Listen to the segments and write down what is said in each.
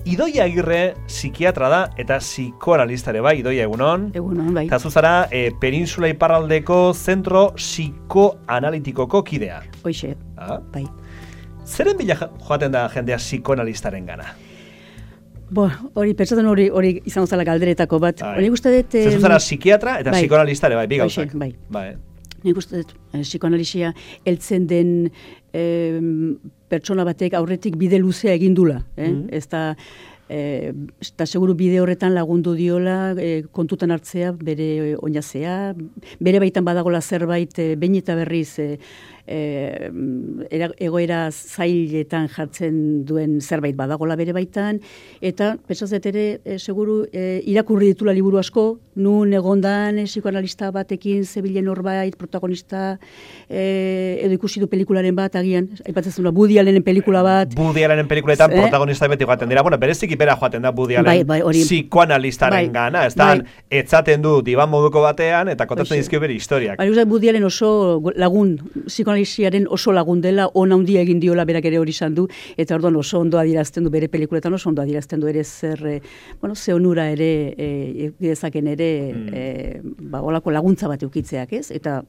Idoia Agirre psikiatra da eta psikoanalista ere bai. Idoia, egunon? Egunon, bai. Eta zuzara, Peninsula Iparraldeko zentro psikoanalitikoko kidea. Hoixe, bai. Zeren bila joaten da jendea psikoanalistaren gana? Hori, pentsatzen hori izango zala galderetako bat. Hori gusta dut... Zuzara psikiatra eta psikoanalista ere bai, bi gauzak. Bai. Nik uste dut, psikoanalisia heltzen den pertsona batek aurretik bide luzea egindula. Eta seguru bide horretan lagundu diola kontutan hartzea, bere oinazea, bere baitan badagola zerbait, behin eta berriz egoera zailetan jartzen duen zerbait badagola bere baitan, eta pentsazet ere, seguru, irakurri ditula liburu asko, nun egondan psikoanalista batekin zebilen horbait, protagonista, edo ikusi du pelikularen bat, agian, aipatzen zuen, Woody Allenen pelikula bat. Woody Allenen pelikuletan protagonista beti joaten dira, bereziki bera joaten da Woody Allen psikoanalistaren gana, ez da, etzaten du diban moduko batean, eta kontatzen dizkio bere historiak. Woody Allen oso lagun, psikoanalisiaren oso lagun dela, ona handia egin diola berak ere hori izan du, eta orduan oso ondo adierazten du, bere pelikuletan oso ondo adierazten du ere zer, ze onura ere, dezaken ere, olako laguntza bat eukitzeak, ez? Eta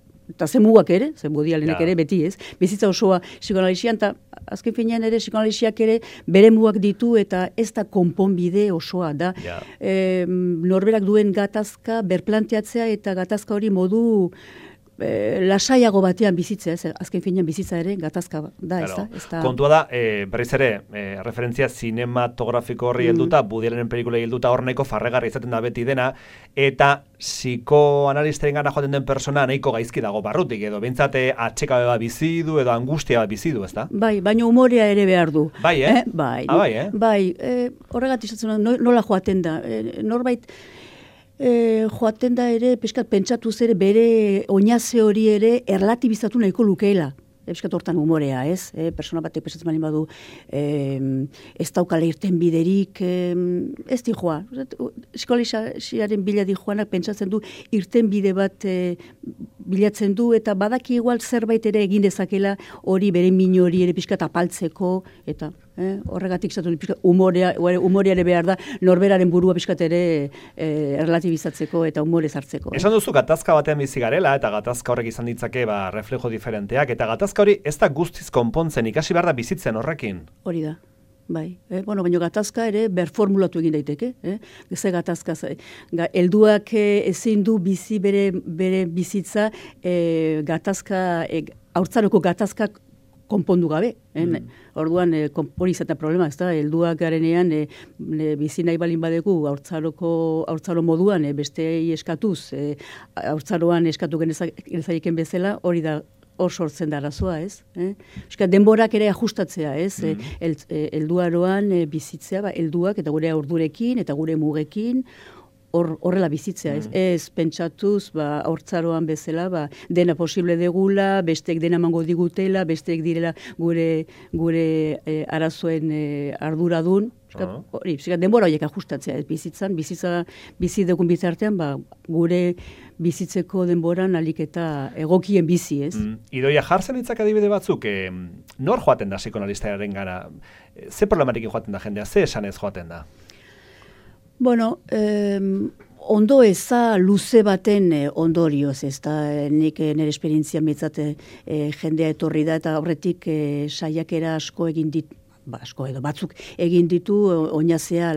ze mugak ere, ze Woody Allenek ere beti, ez? Bizitza osoa psikoanalisian, eta azken finean ere psikoanalisiak ere bere mugak ditu, eta ez da konponbide osoa da. Norberak duen gatazka berplanteatzea, eta gatazka hori modu lasaiago batean bizitzea, azken finean bizitza ere gatazka da, ez da? Kontua da, berriz ere, referentzia zinematografiko horri helduta, Woody Allenen pelikula helduta horneko farregarri izaten da beti dena, eta psikoanalistaren gana joaten den persona nahiko gaizki dago barrutik, edo bintzate atxekabe bat bizi du, edo angustia bat bizi du, ez da? Bai, baina umorea ere behar du. Bai, Bai, horregatik izatzen nola joaten da, norbait, joaten da ere, peskat pentsatuz ere, bere oinaze hori ere erlatibizatu nahiko lukeela. Peskat hortan umorea, ez? Persona batek pesatzen bali badu, ez daukala irten biderik, ez di joa. Psikoanalisiaren bila di joanak pentsatzen du, irten bide bat bilatzen du, eta badaki igual zerbait ere egin dezakela hori bere min hori ere peskat apaltzeko, eta horregatik zatu umorea ere behar da, norberaren burua peskat ere relatibizatzeko eta umore zartzeko. Esan duzu gatazka batean bizi garela, eta gatazka horrek izan ditzake reflejo diferenteak, eta gatazka hori ez da guztiz konpontzen, ikasi behar da bizitzen horrekin. Hori da. Bai, baina gatazka ere berformulatu egin daiteke, ze gatazka, helduak ezin du bizi bere bizitza gatazka, haurtzaroko gatazkak konpondu gabe. Orduan, hori izatea problema, ez da, helduak garenean bizi nahi balin badegu haurtzaro moduan, bestei eskatuz, haurtzaroan eskatu genezaiken bezala, hori da, hor sortzen da arazoa, ez? Denborak ere ajustatzea, ez? Helduaroan bizitzea, helduak eta gure haurdurekin eta gure mugekin, horrela bizitzea, ez? Ez pentsatuz, haurtzaroan bezala, dena posible degula, besteek dena mango digutela, besteek direla gure arazoen arduradun. Denbora horiek ajustatzea, bizitza bizi dugun bitartean, gure bizitzeko denboran alik eta egokien bizi, ez? Idoia, jartzen ditzak adibide batzuk, nor joaten da psikoanalistaren gara? Ze problematikin joaten da jendea, ze esanez joaten da? Bueno, ondo eza luze baten ondorioz, ez da, nik nire esperientzia metzate jendea etorri da, eta horretik saiakera asko egin ditu, asko edo batzuk egin ditu oinazea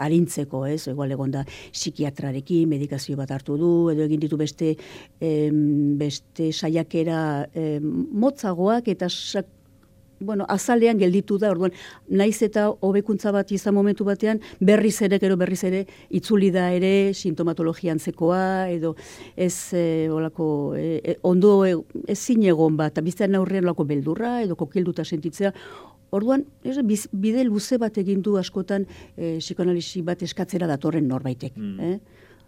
arintzeko, ez? Egoal egon da psikiatrarekin, medikazio bat hartu du, edo egin ditu beste saiakera motzagoak eta azalean gelditu da, orduan, naiz eta hobekuntza bat izan momentu batean, berriz ere, itzuli da ere, sintomatologian zekoa, edo ez ondo ezin egon bat, eta biztean aurrean lako beldurra, edo kokilduta sentitzea. Orduan, bide luze bat egin du askotan psikoanalisi bat eskatzera datorren norbaitek.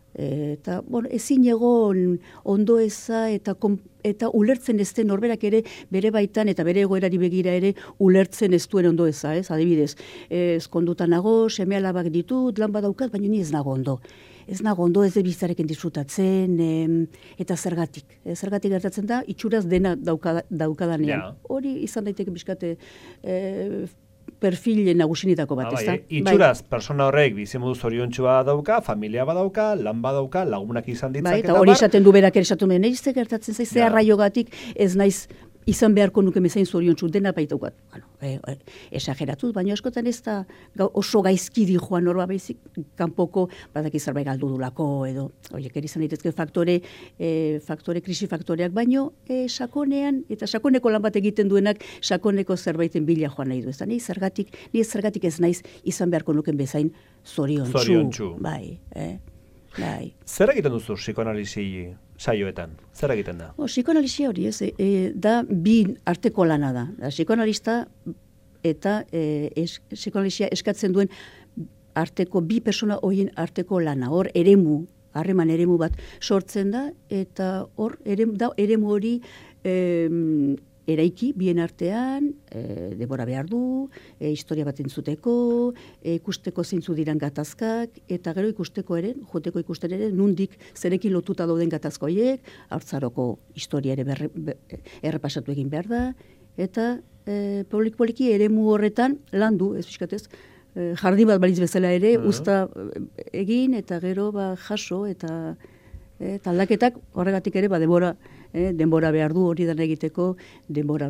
Eta, ezin egon ondo eza eta ulertzen ez den norberak ere bere baitan eta bere egoerari begira ere ulertzen ez duen ondo eza, ez? Adibidez, ezkonduta nago, seme alabak ditut, lan badaukat, baina ni ez nago ondo. Ez nago ondo, ez biztarekin disfrutatzen, eta zergatik. Zergatik gertatzen da, itxuraz dena daukadanean. Hori izan daiteke bizkate perfil nagusinetako bat, ezta? Itxuraz, persona horrek bizimodu zoriontsua dauka, familia badauka, lan badauka, lagunak izan ditzak, eta hori esaten du berak ere esaten duen, nire gertatzen zaiz, ze arraiogatik ez naiz izan beharko nuke mezain zoriontsu dena baitaukat. Bueno, esageratuz, baina askotan ez da oso gaizki di joan horba baizik, kanpoko badaki zerbait galdu dulako, edo, horiek ere izan daitezke krisi faktoreak, baino sakonean, eta sakoneko lan bat egiten duenak, sakoneko zerbaiten bila joan nahi du. Ez da, nire zergatik ez naiz izan beharko nuken bezain zoriontsu. Bai. Zer egiten duzu psikoanalisi saioetan? Zer egiten da? Psikoanalisia hori, da bi arteko lana da. Psikoanalista eta psikoanalisia eskatzen duen arteko bi persona horien arteko lana. Hor harreman eremu bat sortzen da, eta hor eremu hori eraiki bien artean, denbora behar du, historia bat entzuteko, ikusteko zeintzu diran gatazkak, eta gero joteko ikusten ere, nundik zerekin lotuta dauden gatazko horiek, haurtzaroko historia ere errepasatu egin behar da, eta poliki eremu horretan landu, ez fiskatez, jardin bat balitz bezala ere, usta egin, eta gero jaso, eta aldaketak horregatik ere, denbora behar du hori dana egiteko, denbora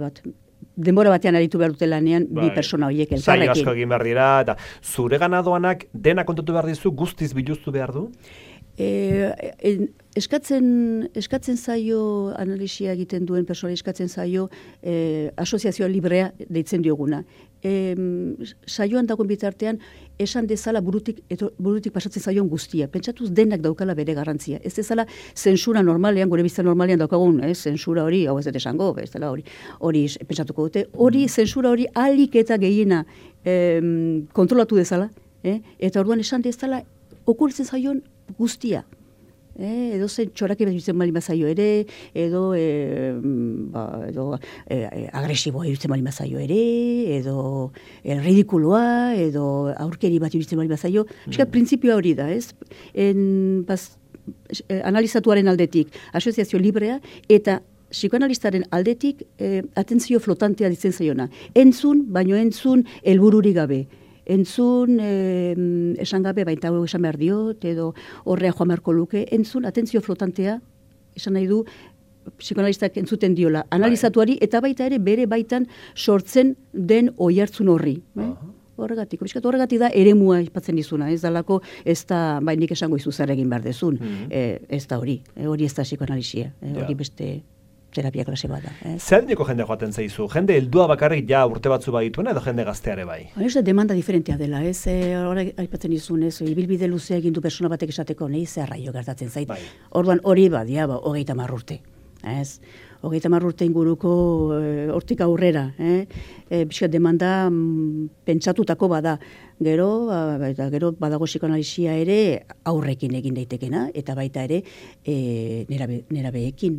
batean aritu behar dute lanean, bi persona horiek elkarrekin. Zailo asko egin behar dira, eta zure ganadoanak dena kontatu behar dizu, guztiz biluztu behar du? Eskatzen zaio, analisia egiten duen persona eskatzen zaio, asoziazioa librea deitzen dioguna. Saioan dagoen bitartean, esan dezala burutik pasatzen zaion guztia. Pentsatuz denak daukala bere garrantzia. Ez dezala zentsura normalean, gure bizta normalean daukagun, zentsura hori, hau ez dut esango, ez dela hori pentsatuko dute, zentsura hori ahalik eta gehiena kontrolatu dezala, eta orduan esan dezala okurtzen zaion guztia. Edo zen txorake iruditzen bali mazaio ere, edo agresiboa iruditzen bali mazaio ere, edo ridikuloa, edo aurkeri bat iruditzen bali mazaio. Printzipioa hori da, ez? Analizatuaren aldetik, asoziazio librea, eta psikoanalistaren aldetik atentzio flotantea ditzen zaiona. Entzun, baino entzun helbururik gabe. Entzun, esan gabe, baita hau esan behar diot, edo horrea joan beharko luke, entzun, atentzio flotantea, esan nahi du, psikoanalistak entzuten diola, analizatuari, eta baita ere bere baitan sortzen den oihartzun horri. Horregatik da eremua ipatzen dizuna, ez dalako, ez da, nik esango izu zer egin behar dezun, ez da hori ez da psikoanalisia, hori beste terapia klase bat da. Zer dineko jende joaten zaizu? Jende heldua bakarrik ja urte batzu badituena edo jende gazteare bai? Ez da demanda diferentea dela, ez? Horrek aipatzen dizun, ez? Ibilbide luzea egin du persona batek esateko, nahi zerraio gertatzen zait. Orduan hori badia, 30 urte. Ez? 30 urte inguruko hortik aurrera. Bizkat demanda pentsatutako bada. Gero badago psikoanalisia ere aurrekin egin daitekena, eta baita ere nerabeekin.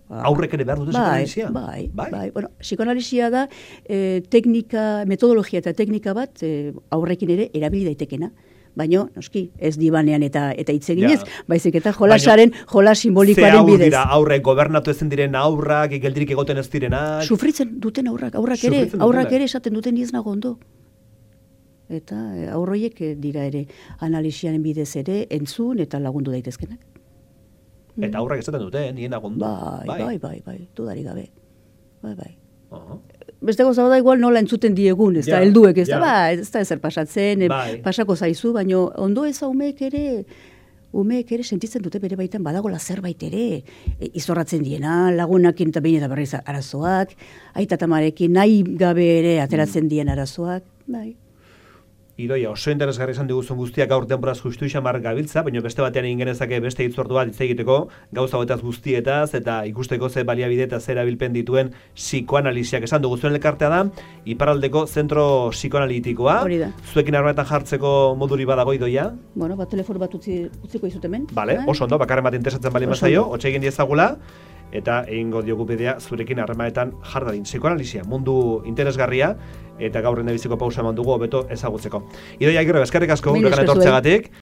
Aurrek ere behar dute psikoanalisia? Bai. Bueno, psikoanalisia da metodologia eta teknika bat aurrekin ere erabili daitekena. Baina, noski, ez dibanean eta hitz eginez, baizik eta jolas simbolikoaren bidez. Ze dira aurrek gobernatu ezin diren aurrak, geldirik egoten ez direnak? Sufritzen duten aurrak ere esaten duten ez nago ondo. Eta aurroiek dira ere analisiaren bidez ere entzun eta lagundu daitezkenak. Eta aurrak esaten dute, nien agundu. Bai, dudari gabe. Bai. Beste gauza bada igual nola entzuten diegun, ez da, helduek, ez da ezer pasatzen, pasako zaizu, baina ondo ez umeek ere sentitzen dute bere baitan badagola zerbait ere, izorratzen diena, lagunakin eta behin eta berriz arazoak, aita tamarekin nahi gabe ere ateratzen dien arazoak, bai. Idoia, oso interesgarri izan diguzun guztiak gaur denboraz justu xamar gabiltza, baina beste batean egin genezake beste hitzordua hitz egiteko, gauza hauetaz guztietaz, eta ikusteko ze baliabide eta ze erabilpen dituen psikoanalisiak esan dugu zuen elkartea da, iparraldeko zentro psikoanalitikoa. Hori da. Zuekin harremanetan jartzeko moduri badago, Idoia? Bueno, telefono bat utziko izut hemen. Vale, oso ondo, bakarren bat interesatzen bali mazaio, hotxe egin diezagula, eta egingo diogu bidea zurekin harremanetan jardadin. Psikoanalisia, mundu interesgarria, eta gaur biziko pausa eman dugu hobeto ezagutzeko. Idoia Agirre, eskerrik asko guregan etortzeagatik.